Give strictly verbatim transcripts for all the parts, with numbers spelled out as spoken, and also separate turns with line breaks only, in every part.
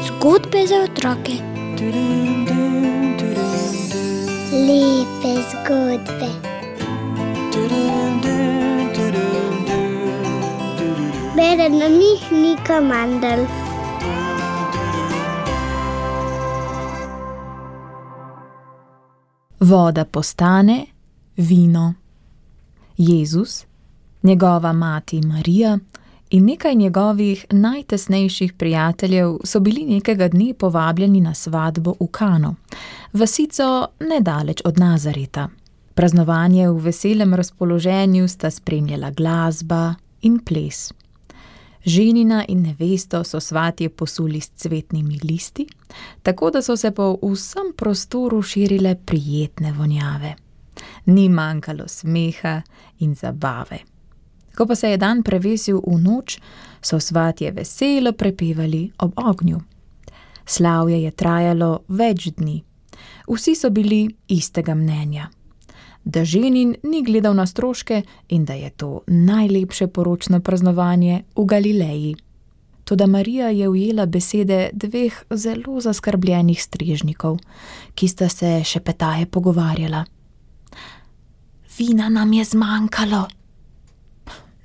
Zgodbe za otroke. Lepe zgodbe. Bere nam jih Nika Mandl.
Voda postane vino. Jezus, njegova mati Marija in nekaj njegovih najtesnejših prijateljev so bili nekega dne povabljeni na svatbo v Kano, vasico nedaleč od Nazareta. Praznovanje v veselem razpoloženju sta spremljala glasba in ples. Ženina in nevesto so svatje posuli s cvetnimi listi, tako da so se po vsem prostoru širile prijetne vonjave. Ni manjkalo smeha in zabave. Ko pa se je dan prevesil v noč, so svatje veselo prepevali ob ognju. Slavje je trajalo več dni. Vsi so bili istega mnenja, da ženin ni gledal na stroške in da je to najlepše poročno praznovanje v Galileji. Toda Marija je ujela besede dveh zelo zaskrbljenih strežnikov, ki sta se šepetaje pogovarjala. Vina nam je zmanjkalo.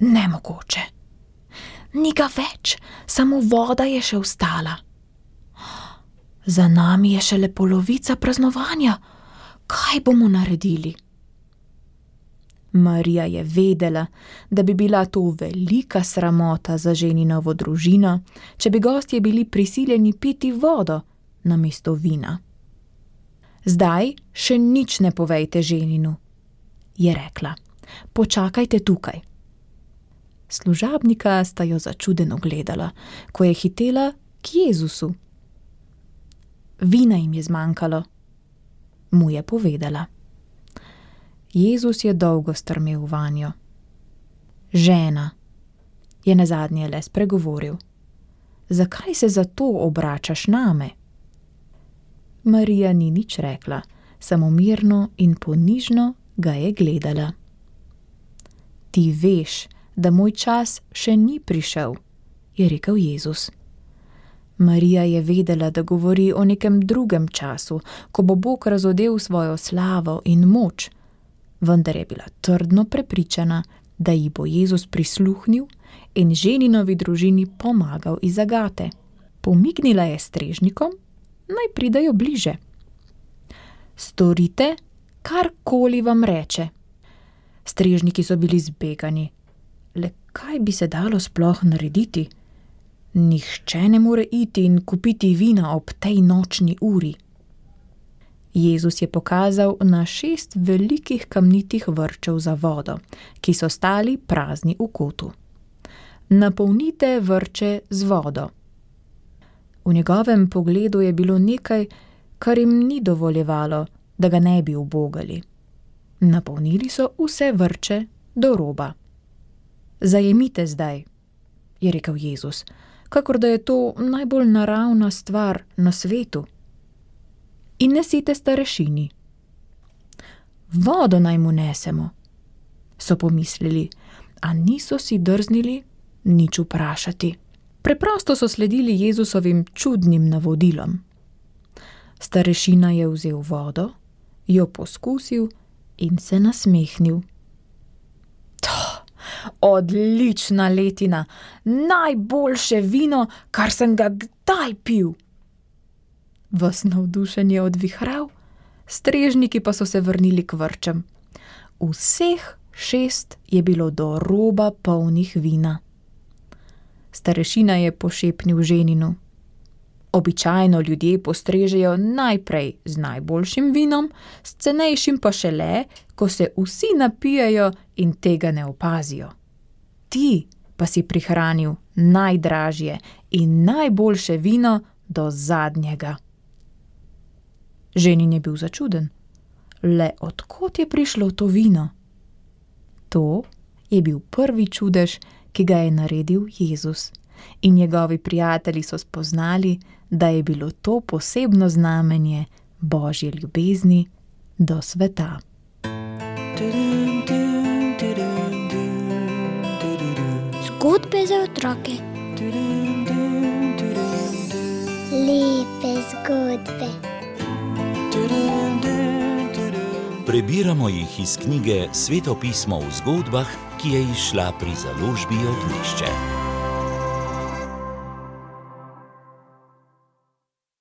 Nemogoče. Ni ga več, samo voda je še ostala. Za nami je šele polovica praznovanja. Kaj bomo naredili? Marija je vedela, da bi bila to velika sramota za ženinovo družino, če bi gostje bili prisiljeni piti vodo namesto vina. Zdaj še nič ne povejte ženinu, je rekla. Počakajte tukaj. Služabnika sta jo začudeno gledala, ko je hitela k Jezusu. Vina jim je zmanjkalo, mu je povedala. Jezus je dolgo strmel vanjo. Žena, je nazadnje le spregovoril. Zakaj se zato obračaš name? Marija ni nič rekla, samo mirno in ponižno ga je gledala. Ti veš, da moj čas še ni prišel, je rekel Jezus. Marija je vedela, da govori o nekem drugem času, ko bo Bog razodel svojo slavo in moč, vendar je bila trdno prepričana, da ji bo Jezus prisluhnil in ženinovi družini pomagal iz zagate. Pomignila je strežnikom, naj pridejo bliže. Storite, karkoli vam reče. Strežniki so bili zbegani. Le kaj bi se dalo sploh narediti? Nihče ne more iti in kupiti vina ob tej nočni uri. Jezus je pokazal na šest velikih kamnitih vrčev za vodo, ki so stali prazni v kotu. Napolnite vrče z vodo. V njegovem pogledu je bilo nekaj, kar jim ni dovoljevalo, da ga ne bi ubogali. Napolnili so vse vrče do roba. Zajemite zdaj, je rekel Jezus, kakor da je to najbolj naravna stvar na svetu. In nesite starešini. Vodo naj mu nesemo, so pomislili, a niso si drznili nič vprašati. Preprosto so sledili Jezusovim čudnim navodilom. Starešina je vzel vodo, jo poskusil in se nasmehnil. Odlična letina, najboljše vino, kar sem ga kdaj pil. Ves navdušen je odvihral, strežniki pa so se vrnili k vrčem. Vseh šest je bilo do roba polnih vina. Starešina je pošepnil ženinu. Običajno ljudje postrežejo najprej z najboljšim vinom, s cenejšim pa šele, ko se vsi napijejo in tega ne opazijo. Ti pa si prihranil najdražje in najboljše vino do zadnjega. Ženin je bil začuden. Le od kod je prišlo to vino? To je bil prvi čudež, ki ga je naredil Jezus. In njegovi prijatelji so spoznali, da je bilo to posebno znamenje Božje ljubezni do sveta.
Zgodbe za otroke. Lepe zgodbe.
Prebiramo jih iz knjige Sveto pismo v zgodbah, ki je izšla pri založbi Ognjišče.